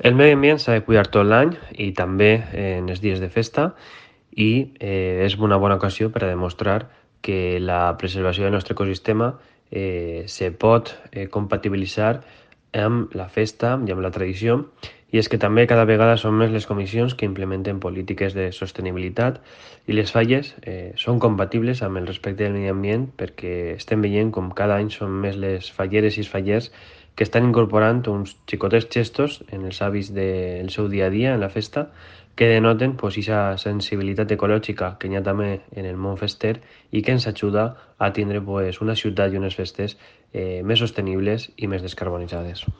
El medi ambient s'ha de cuidar tot l'any i també en els dies de festa i és una bona ocasió per a demostrar que la preservació del nostre ecosistema se pot compatibilitzar amb la festa i amb la tradició, i és que també cada vegada són més les comissions que implementen polítiques de sostenibilitat i les falles són compatibles amb el respecte del medi ambient, perquè estem veient com cada any són més les falleres i els fallers que estan incorporant uns xicotets gestos en els hàbits del seu dia a dia en la festa, que denoten pues, aquesta sensibilitat ecològica que hi ha també en el món fester i que ens ajuda a tindre pues, una ciutat i unes festes més sostenibles i més descarbonitzades.